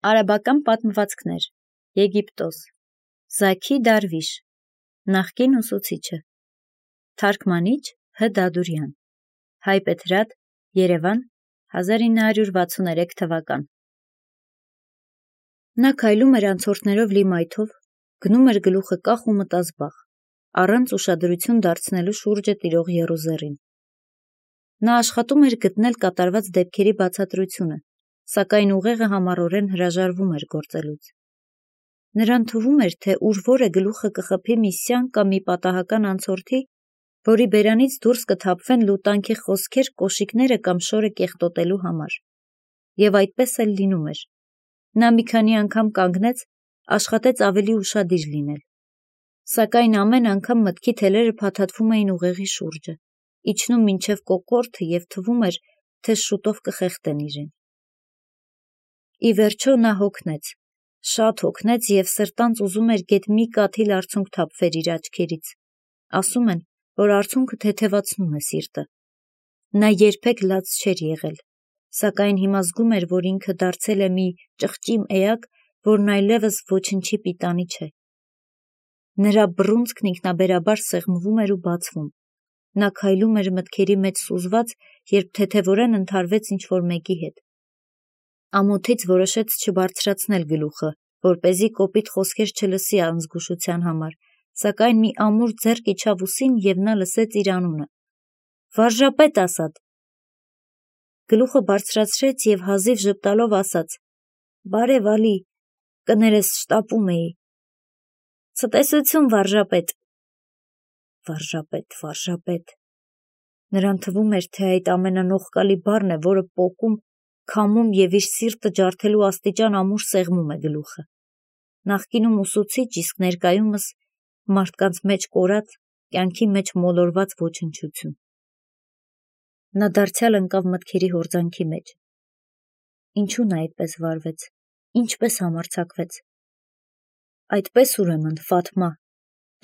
Արաբական պատմվածքներ, Եգիպտոս, Զաքի Դարվիշ, նախկին ուսուցիչը, թարգմանիչ Հ. Դադուրյան, Հայպեթրատ, Երևան, 1963 թվական։ Նա քայլում էր անցորդներով լի մայթով, գնում էր գլուխը կախ ու մտազբաղ, առանց ուշադրություն դարձնելու շուրջը տիրող եռուզեռին։ Նա աշխատում էր գտնել կատարված դեպքերի բացատրությունը, սակայն ուղեղը համառորեն հրաժարվում էր գործելուց։ Նրան թվում էր, թե ուր որ է գլուխը կխփի մի սյան կամ մի պատահական անցորդի, որի բերանից դուրս կթափվեն լուտանքի խոսքեր կոշիկները կամ շորը կեղտոտելու համար։ Եվ այդպես էլ լինում էր։ Նա մի քանի անգամ կանգնեց, աշխատեց ավելի ուշադիր լինել։ Սակայն ամեն անգամ մտքի թելերը փաթաթվում էին ուղեղի շուրջը, իջնում մինչև կոկորդը և թվում էր, թե շուտով կխեղդեն իրեն։ Ի վերջո նա հոգնեց, շատ հոգնեց և սրտանց ուզում էր գեթ մի կաթիլ արցունք թափվեր իր աչքերից։ Ասում են, որ արցունքը թեթևացնում է սիրտը։ Նա երբեք լաց չէր եղել, սակայն հիմա զգում էր, որ ինքը դարձել է մի ճղճիմ էակ, որն այլևս ոչնչի պիտանի չէ։ Նրա բռունցքն ինքնաբերաբար սեղմվում էր ու բացվում։ Նա քայլում էր մտքերի մեջ սուզված, երբ թեթևորեն ընդհարվեց ինչ-որ մեկի հետ։ Ամոթից որոշեց չբարձրացնել գլուխը, որպեսզի կոպիտ խոսքեր չլսի անզգուշության համար, սակայն մի ամուր ձեռք իջավ ուսին և նա լսեց իր անունը։ Վարժապետ Ասադ։ Գլուխը բարձրացրեց և հազիվ ժպտալով ասաց. Բարև Ալի, կներես շտապում էի։ Ցտեսություն վարժապետ։ Վարժապետ։ Նրան թվում էր, թե այդ ամենանողկալի բառն է, որը պոկում, քամում և իր սիրտը ջարդելու աստիճան ամուր սեղմում է գլուխը։ Նախկինում ուսուցիչ, իսկ ներկայումս մարդկանց մեջ կորած, կյանքի մեջ մոլորված ոչնչություն։ Նա դարձյալ ընկավ մտքերի հորձանքի մեջ։ Ինչու նա այդպես վարվեց, ինչպես համարձակվեց։ Այդպես ուրեմն, Ֆաթմա,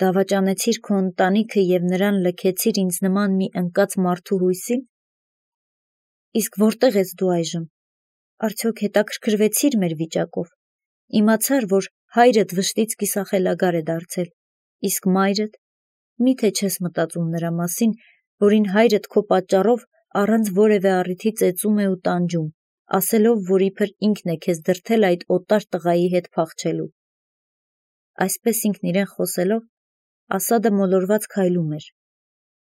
դավաճանեցիր քո ընտանիքը և նրան լքեցիր ինձ նման մի ընկած մարդու հույսի՞ն։ Իսկ որտե՞ղ ես դու այժմ։ Արդյոք հետաքրքրվեցիր մեր վիճակով։ Իմացար, որ հայրդ վշտից կիսախելագար է դարձել, իսկ մայրդ, միթե չես մտածում նրա մասին, որին հայրդ քո պատճառով առանց որևէ առիթի ծեծում է ու տանջում, ասելով, որ իբր ինքն է քեզ դրդել այդ օտար տղայի հետ փախչելու։ Այսպես ինքն իրեն խոսելով, Ասադը մոլորված քայլում էր։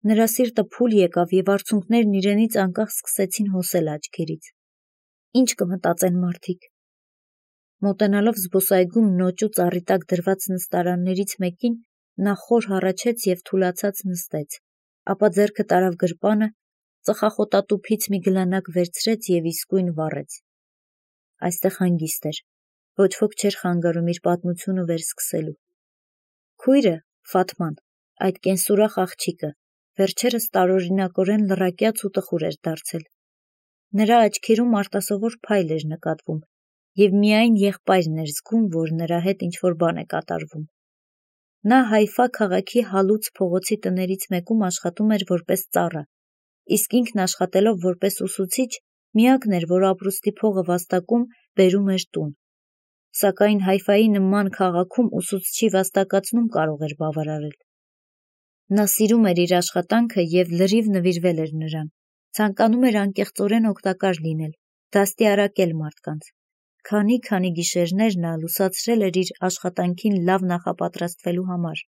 Նրա սիրտը փուլ եկավ և արցունքներն իրենից անկախ սկսեցին հոսել աչքերից։ Ինչ կմտածեն մարդիկ։ Մոտենալով զբոսայգում նոճու ծառի տակ դրված նստարաններից մեկին, նա խոր հառաչեց և թուլացած նստեց, ապա ձեռքը տարավ գրպանը, ծխախոտատուփից մի գլանակ վերցրեց և իսկույն վառեց։ Այստեղ հանգիստ էր, ոչ ոք չէր խանգարում իր պատմությունը վերսկսելու։ Քույրը, Ֆաթման, այդ կենսուրախ աղջիկը, վերջերս տարօրինակորեն լռակյաց ու տխուր էր դարձել։ Նրա աչքերում արտասովոր փայլ էր նկատվում, և միայն եղբայրն էր զգում, որ նրա հետ ինչ-որ բան է կատարվում։ Նա Հայֆա քաղաքի հալուց փողոցի տներից մեկում աշխատում էր որպես ծառա, իսկ ինքն աշխատելով որպես ուսուցիչ, միակն էր, որ ապրուստի փողը վաստակում բերում էր տուն։ Սակայն Հայֆայի նման քաղաքում ուսուցչի վաստակացնում կարող էր բավարարել։ Նա սիրում էր իր աշխատանքը և լրիվ նվիրվել էր նրան, ցանկանում էր անկեղծորեն օգտակար լինել, դաստիարակել մարդկանց։ Քանի գիշերներ նա լուսացրել էր իր աշխատանքին լավ նախապատրաստվելու համար։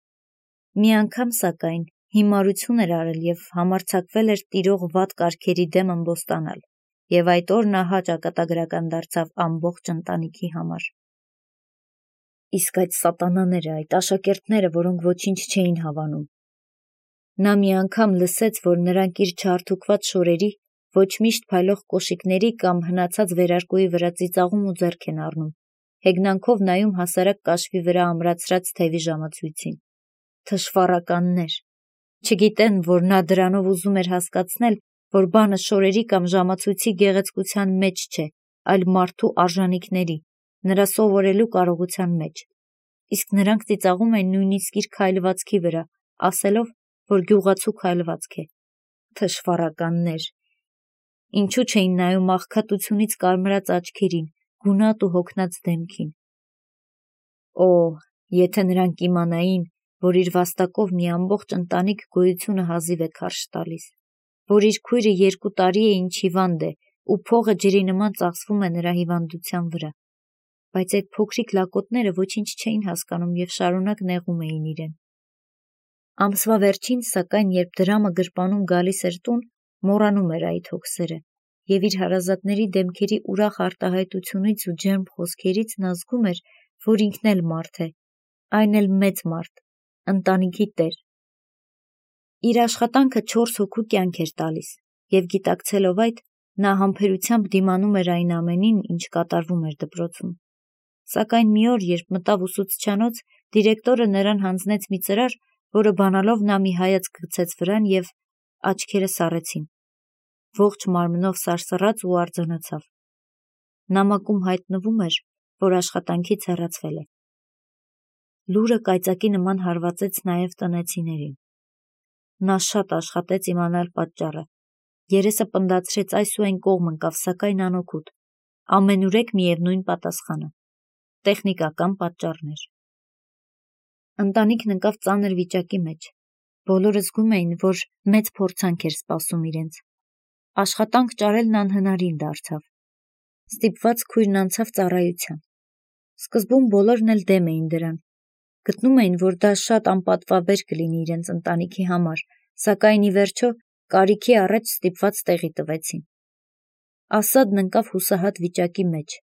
Մի անգամ, սակայն, հիմարություն էր արել և համարձակվել էր տիրող վատ կարգերի դեմ ըմբոստանալ, և այդ օրն ահա ճակատագրական դարձավ ամբողջ ընտանիքի համար։ Իսկ այդ սատանաները, այդ աշակերտները, որոնք ոչինչ չէին հավանում։ Նա մի անգամ լսեց, որ նրանք իր չարթուկված շորերի, ոչ միշտ փայլող կոշիկների կամ հնացած վերարկուի վրա ծիծաղում ու ձեռք են առնում, հեգնանքով նայում հասարակ կաշվի վրա ամրացրած թևի ժամացույցին։ Թշվառականներ։ Չգիտեն, որ նա դրանով ուզում էր հասկացնել, որ բանը շորերի կամ ժամացույցի գեղեցկության մեջ չէ, այլ մարդու արժանիքների, նրա սովորելու կարողության մեջ։ Իսկ նրանք ծիծաղում են նույնիսկ իր քայլվածքի վրա, ասելով, որ գյուղացու քայլվածք է։ Թշվառականներ։ Ինչու չէին նայում աղքատությունից կարմրած աչքերին, գունատ ու հոգնած դեմքին։ Օ, եթե նրանք իմանային, որ իր վաստակով մի ամբողջ ընտանիք գոյությունը հազիվ է քարշ տալիս, որ իր քույրը 2 տարի է ինչ հիվանդ է ու փողը ջրի նման ծախսվում է նրա հիվանդության վրա, բայց այդ փոքրիկ լակոտները ոչինչ չէին հասկանում և շարունակ նեղում էին իրեն։ Ամսվա վերջին, սակայն, երբ դրամը գրպանում գալիս էր տուն, մոռանում էր այդ հոգսերը, և իր հարազատների դեմքերի ուրախ արտահայտությունից ու ջերմ խոսքերից նա զգում էր, որ ինքն էլ մարդ է, այն էլ մեծ մարդ, ընտանիքի տեր։ Իր աշխատանքը 4 հոգու կյանք էր տալիս, և գիտակցելով այդ, նա համբերությամբ դիմանում էր այն ամենին, ինչ կատարվում էր դպրոցում։ Սակայն մի օր, երբ մտավ ուսուցչանոց, դիրեկտորը նրան հանձնեց մի ծրար, որը բանալով նա մի հայացք գցեց վրան և աչքերը սառեցին։ Ողջ մարմնով սարսռաց ու արձանացավ։ Նամակում հայտնվում էր, որ աշխատանքից հեռացվել է։ Լուրը կայծակի նման հարվածեց նաև տնեցիներին։ Նա շատ աշխատեց իմանալ պատճառը։ Երեսը պնդացրեց այս ու այն կողմ ընկավ, սակայն անօգուտ։ Ամենուրեք միևնույն պատասխանը՝ տեխնիկական պատճառներ։ Ընտանիքն ընկավ ծանր վիճակի մեջ։ Բոլորը զգում էին, որ մեծ փորձանք էր սպասում իրենց։ Աշխատանք ճարելն անհնարին դարձավ։ Ստիպված քույրն անցավ ծառայության։ Սկզբում բոլորն էլ դեմ էին դրան։ Գտնում էին, որ դա շատ անպատվաբեր կլինի իրենց ընտանիքի համար, սակայն ի վերջո կարիքի առաջ ստիպված տեղի տվեցին։ Ասադն ընկավ հուսահատ վիճակի մեջ։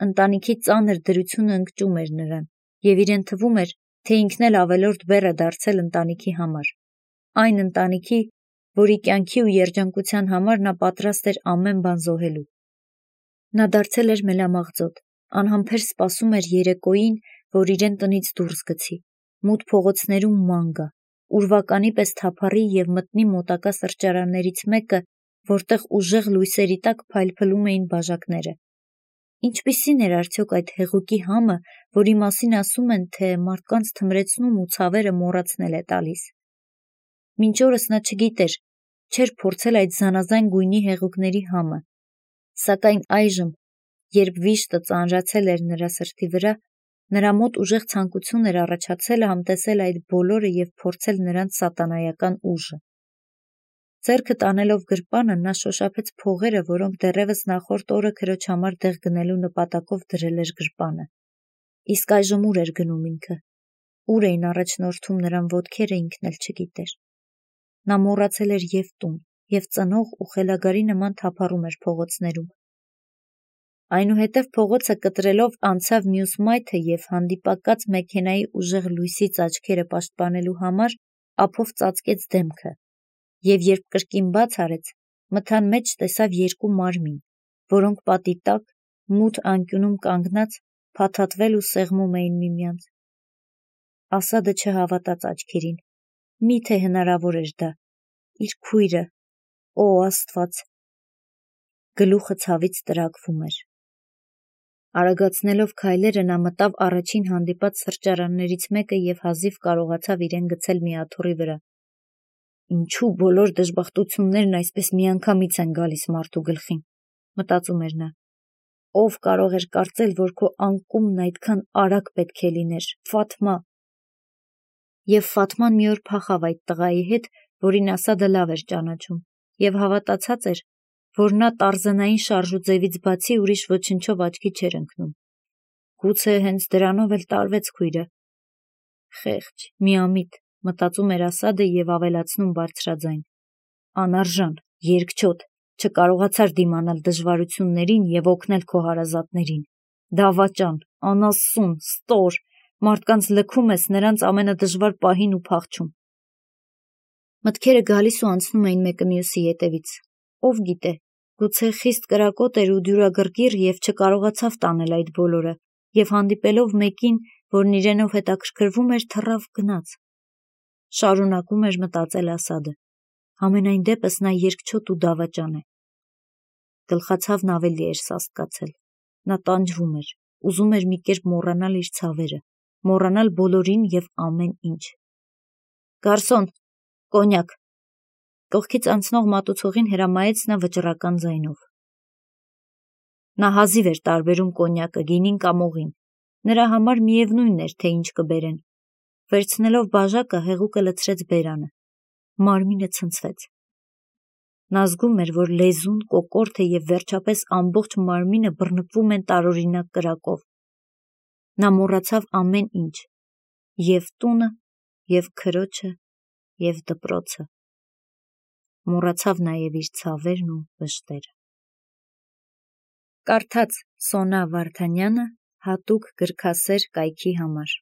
Ընտանիքի ծանր դրությունը ընկճում էր նրան, և իրեն թվում էր, թե ինքն էլ ավելորդ բեռ է դարձել ընտանիքի համար։ Այն ընտանիքի, որի կյանքի ու երջանկության համար նա պատրաստ էր ամեն բան զոհելու։ Նա դարձել էր մելամաղձոտ, անհամբեր սպասում էր երեկոյին, որ իրեն տնից դուրս գցի, մութ փողոցներում ման գա, ուրվականի պես թափառի և մտնի մոտակա սրճարաններից մեկը, որտեղ ուժեղ լույսերի տակ փայլփլում էին բաժակները։ Ինչպիսին էր արդյոք այդ հեղուկի համը, որի մասին ասում են, թե մարդկանց թմրեցնում ու ցավերը մոռացնել է տալիս։ Մինչ օրս նա չգիտեր, չէր փորձել այդ զանազան գույնի հեղուկների համը, սակայն այժմ, երբ վիշտը ծանրացել էր նրա սրտի վրա, նրա մոտ ուժեղ ցանկություն էր առաջացել համտեսել այդ բոլորը և փորձել նրանց սատանայական ուժը։ Ձեռքը տանելով գրպանը, նա շոշափեց փողերը, որոնք դեռևս նախորդ օրը քրոջ համար դեղ գնելու նպատակով դրել էր գրպանը։ Իսկ այժմ ուր էր գնում ինքը։ Ուր էին առաջնորդում նրան ոտքերը, ինքն էլ չգիտեր։ Նա մոռացել էր և տուն, և ծնող ու խելագարի նման թափառում էր փողոցներում։ Այնուհետև փողոցը կտրելով անցավ մյուս մայթը և հանդիպակաց մեքենայի ուժեղ լույսից աչքերը պաշտպանելու համար ափով ծածկեց դեմքը, և երբ կրկին բաց արեց, մթան մեջ տեսավ 2 մարմին, որոնք պատի տակ, մութ անկյունում կանգնած, փաթաթվել ու սեղմում էին միմյանց։ Ասադը չհավատաց աչքերին։ Մի՞թե հնարավոր էր դա։ Իր քույրը, օ Աստված։ Գլուխը ցավից տրաքվում էր։ Արագացնելով քայլերը նա մտավ առաջին հանդիպած սրճարաններից մեկը և հազիվ կարողացավ իրեն գցել մի աթոռի վրա։ Ինչու բոլոր դժբախտություններն այսպես միանգամից են գալիս մարդու գլխին, մտածում էր նա։ Ով կարող էր կարծել, որ քո անկումն այդքան արագ պետք է լիներ, Ֆաթմա։ Եվ Ֆաթման մի օր փախավ այդ տղայի հետ, որին Ասադը լավ էր ճանաչում, և հավատացած էր, որ նա տարզանային շարժուձևից բացի ուրիշ ոչնչով աչքի չէր ընկնում։ Գուցե հենց դրանով էլ տարվեց քույրը։ Խեղճ, միամիտ, մտածում էր Ասադը և ավելացնում բարձրաձայն։ Անարժան, երկչոտ, չկարողացար դիմանալ դժվարություններին և օգնել քո հարազատներին։ Դավաճան, անասուն, ստոր, մարդկանց լքում ես նրանց ամենադժվար պահին ու փախչում։ Մտքերը գալիս ու անցնում էին մեկը մյուսի ետևից։ Ով գիտե, գուցե խիստ կրակոտ էր ու դյուրագրգիռ և չկարողացավ տանել այդ բոլորը, և հանդիպելով մեկին, որն իրենով հետաքրքրվում էր, թռավ գնաց։ Շարունակում էր մտածել Ասադը։ Համենայն դեպս նա երկչոտ ու դավաճան է։ Գլխացավն ավելի էր սաստկացել։ Նա տանջվում էր, ուզում էր մի կերպ մոռանալ իր ցավերը, մոռանալ բոլորին և ամեն ինչ։ Գարսոն, կոնյակ։ Կողքից անցնող մատուցողին հրամայեց նա վճռական ձայնով։ Նա հազիվ էր տարբերում կոնյակը, գինին կամ օղին, նրա համար միևնույն էր, թե ինչ կբերեն։ Վերցնելով բաժակը, հեղուկը լցրեց բերանը, մարմինը ցնցվեց։ Նա զգում էր, որ լեզուն, կոկորդը և վերջապես ամբողջ մարմինը բռնկվում են տարօրինակ կրակով։ Նա մոռացավ ամեն ինչ, և տունը, և քրոջը, և դպրոցը։ Մոռացավ նաև իր ցավերն ու վշտերը։ Կարդաց Սոնա Վարդանյանը հատուկ գրքասեր կայքի համար։